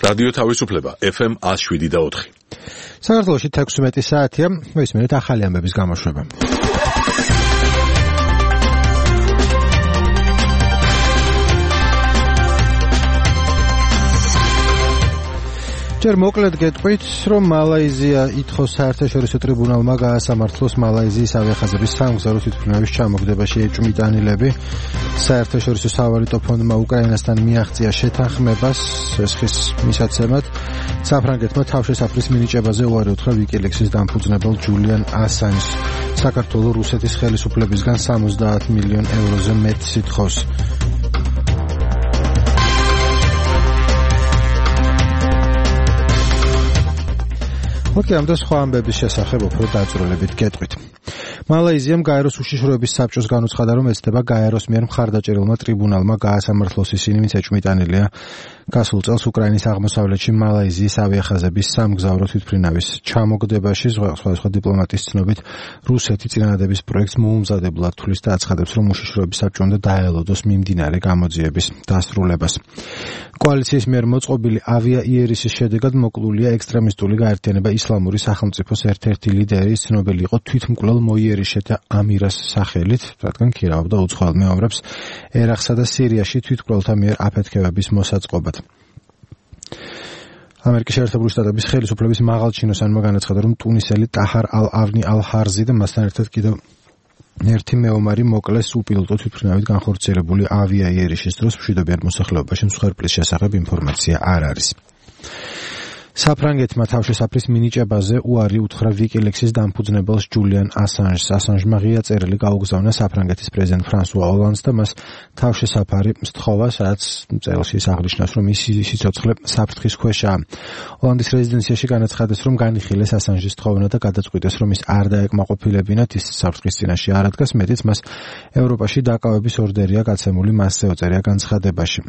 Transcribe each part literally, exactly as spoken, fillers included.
რადიო თავისუფლება ეფ ემ one oh seven point four. საქართველოში თექვსმეტი საათია, მოისმენთ ახალი ამბების გამოშვება. ჯერ მოკლედ გეტყვით, რომ მალაიზია ითხოვს საერთაშორისო ტრიბუნალმა გაასამართლოს მალაიზიის ავიახაზების სამგზავრო თვითმფრინავის ჩამოგდებაში ეჭვმიტანილები. საერთაშორისო სავალუტო ფონდმა უკრაინასთან მიაღწია შეთანხმებას ესხის მისაცემად. საფრანგეთმა თავშესაფრის მინიჭებაზე უარი უთხრა ვიკილექსის დამფუძნებელ ჯულიან ასანჟს. საქართველოს რუსეთის ხელისუფლებისგან სამოცდაათ მილიონ ევროზე მეტს ითხოვს. ოკეი, ამ და სხვა ამბების შესახებ უფრო დაწვრილებით გეტყვით. მალაიზიამ გაეროს უშიშროების საბჭოს განუცხადა, რომ ეცდება გაეროს მიერ მხარდაჭერილმა ტრიბუნალმა გაასამართლოს ისინი, ვინც ეჭვმიტანილია გასულ წელს უკრაინის აღმოსავლეთში მალაიზიის ავიახაზების სამგზავრო თვითმფრინავის ჩამოგდებაში. სხვადასხვა დიპლომატის ცნობით, რუსეთი წინადადების პროექტს მოუმზადებლად თვლის და აცხადებს, რომ უშიშროების საბჭო უნდა დაელოდოს მიმდინარე გამოძიების დასრულებას. კოალიციის მიერ მოწყობილი ავიაიერისის შედეგად მოკლულია ექსტრემისტული გაერთიანება ისლამური სახელმწიფოს ერთ-ერთი ლიდერი, ცნობილი იყო თვითმკვლელ მოიერიშეთა ამირას სახელით, რადგან ქირავდა უცხოელ მეომრებს ერაყსა და სირიაში თვითმკვლელთა მიერ აფეთქებების მოსაწყობად. ამერიკის შეერთებული შტატების ხელისუფლების მაღალჩინოსანმა განაცხადა, რომ ტუნისელი ტაჰარ ალ-ავნი ალ-ჰარზი და მასთან ერთად კიდევ ერთი მეომარი მოკლეს უპილოტო თვითმფრინავით განხორციელებული ავიაიერიშის დროს. მშვიდობიან მოსახლეობაში მსხვერპლის შესახებ ინფორმაცია არ არის. საფრანგეთმა თავშესაფრის მინიჭებაზე უარი უთხრა ვიკილექსის დამფუძნებელს ჯულიან ასანჟს. ასანჟმა ღია წერილი გაუგზავნა საფრანგეთის პრეზიდენტ ფრანსუა ოლანდს და მას თავშესაფარი სთხოვა, სადაც წერილში აღნიშნავს, რომ ის სიცოცხლე საფრთხის ქვეშაა. ოლანდის რეზიდენციაში განაცხადეს, რომ განიხილეს ასანჟის თხოვნა და გადაწყვიტეს, რომ ის არ დაეკმაყოფილებინათ, ის საფრთხის წინაშე არ ადგას, მეტიც მას ევროპაში დაკავების ორდერია გაცემული, მასზე ოწერია განცხადებაში.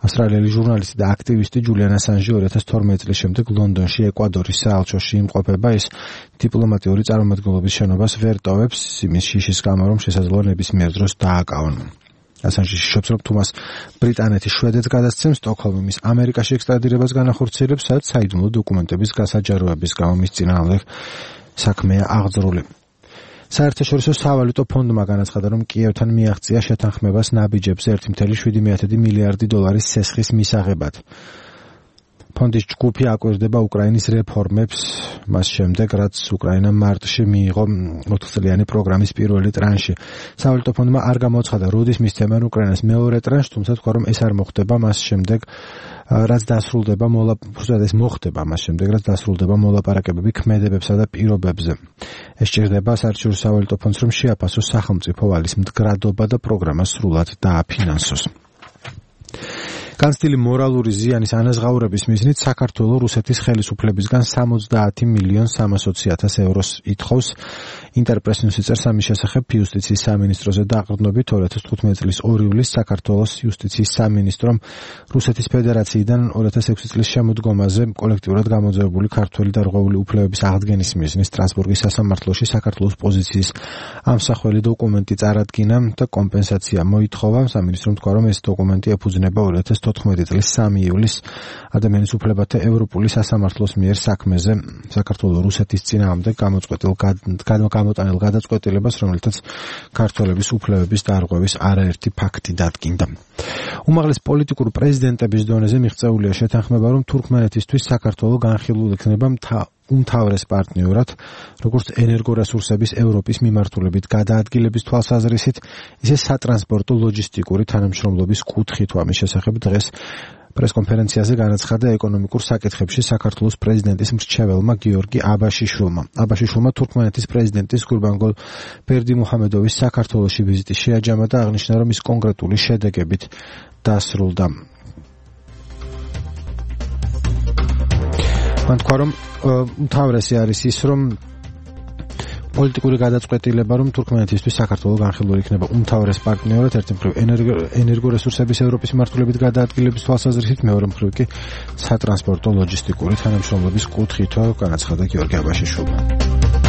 ავსტრალიელი ჟურნალისტი და აქტივისტი ჯულიან ასანჟი ორი ათას თორმეტი წლის შემდეგ ლონდონში ეკვადორის საელჩოში იმყოფება. ის დიპლომატიური წარმომადგენლობის შენობას ვერ ტოვებს იმის შიშის გამო, რომ შესაძლოა ნებისმიერ დროს დააკავონ. ასანჟი შიშობს, რომ თუ მას ბრიტანეთის შვედეთს გადასცემს, სტოკჰოლმი მის ამერიკაში ექსტრადირებას განახორციელებს, სადაც საიდუმლო დოკუმენტების გასაჯაროების გამო მის წინააღმდეგ საქმეა აღძრული. საერთაშორისო სავალუტო ფონდმა განაცხადა, რომ კიევთან მიაღწია შეთანხმებას ნაბიჯებზე ერთი წუთი შვიდი მილიარდი დოლარის სესხის მისაღებად. ფონდის ჯგუფი აკვირდება უკრაინის რეფორმებს, მას შემდეგ, რაც უკრაინამ მარტში მიიღო ოთხწლიანი პროგრამის პირველი ტრანში. სავალუტო ფონდმა არ გამოცხადა, როდის მისცემენ უკრაინას მეორე ტრანშს, თუმცა თქვა, რომ ეს არ მოხდება მას შემდეგ, რაც დასრულდება მოლაპარაკებები მოხდება მას შემდეგ, რაც დასრულდება მოლაპარაკებები ქმედებებსა და პირობებზე. ეს სჭირდება საერთაშორისო სავალუტო ფონდს, რომ შეაფასოს სახელმწიფო ვალის მდგრადობა და პროგრამა სრულად დააფინანსოს. განცდილი მორალური ზიანის ანაზღაურების მიზნით საქართველოს რუსეთის ხელისუფლებისგან სამოცდაათ მილიონ სამასოცი ათას ევროს ითხოვს. ინტერპრეს ნიუსი წერს ამის შესახებ იუსტიციის სამინისტროზე დაყრდნობით ორი ათას თხუთმეტი წლის ორი ივლისს საქართველოს იუსტიციის სამინისტრომ რუსეთის ფედერაციიდან ორი ათას ექვსი წლის შემოდგომაზე კოლექტიურად გამოძევებული ქართველი და რღვეული უფლებების აღდგენის მიზნით სტრასბურგის სასამართლოში საქართველოს პოზიციის ამსახველი დოკუმენტი წარადგინა და კომპენსაცია მოითხოვა. სამინისტრომ თქვა, რომ ეს დოკუმენტი ეფუძნება ორი ათას თოთხმეტი წლის სამი ივლისს ადამიანის უფლებათა ევროპული სასამართლოს მიერ საქმეზე საქართველოს რუსეთის წინააღმდეგ გამოწყვეტილ გამოტანილ გადაწყვეტილებას, რომელთაც ქართველების უფლებების დარღვევის არაერთი ფაქტი დადგინდა. უმაღლეს პოლიტიკურ პრეზიდენტების დონეზე მიღწეულია შეთანხმება, რომ თურქმენეთისთვის საქართველო განხილულ იქნება უმთავრეს პარტნიორად, როგორც ენერგორესურსების ევროპის მიმართულებით გადაადგილების თვალსაზრისით, ისე სატრანსპორტო ლოჯისტიკური თანამშრომლობის კუთხით. ამის შესახებ დღეს პრესკონფერენციაზე განაცხადა ეკონომიკურ საკითხებში საქართველოს პრეზიდენტის მრჩეველმა გიორგი აბაშიშვილმა. აბაშიშვილმა თურქმენეთის პრეზიდენტის გურბანგულ ბერდიმუჰამედოვის საქართველოში ვიზიტი შეაჯამა და აღნიშნა, რომ ის კონკრეტული შედეგებით დასრულდა. მან თქვა, რომ უმთავრესი არის ის, რომ პოლიტიკური გადაწყვეტილება, რომ თურქმენეთისთვის საქართველო განხილული იქნება უმთავრეს პარტნიორად, ერთი მხრივ ენერგორესურსების ევროპის მიმართულებით გადაადგილების თვალსაზრისით, მეორე მხრივ კი სატრანსპორტო ლოჯისტიკური თანამშრომლობის კუთხით, განაცხადა გიორგი აბაშიშვილმა.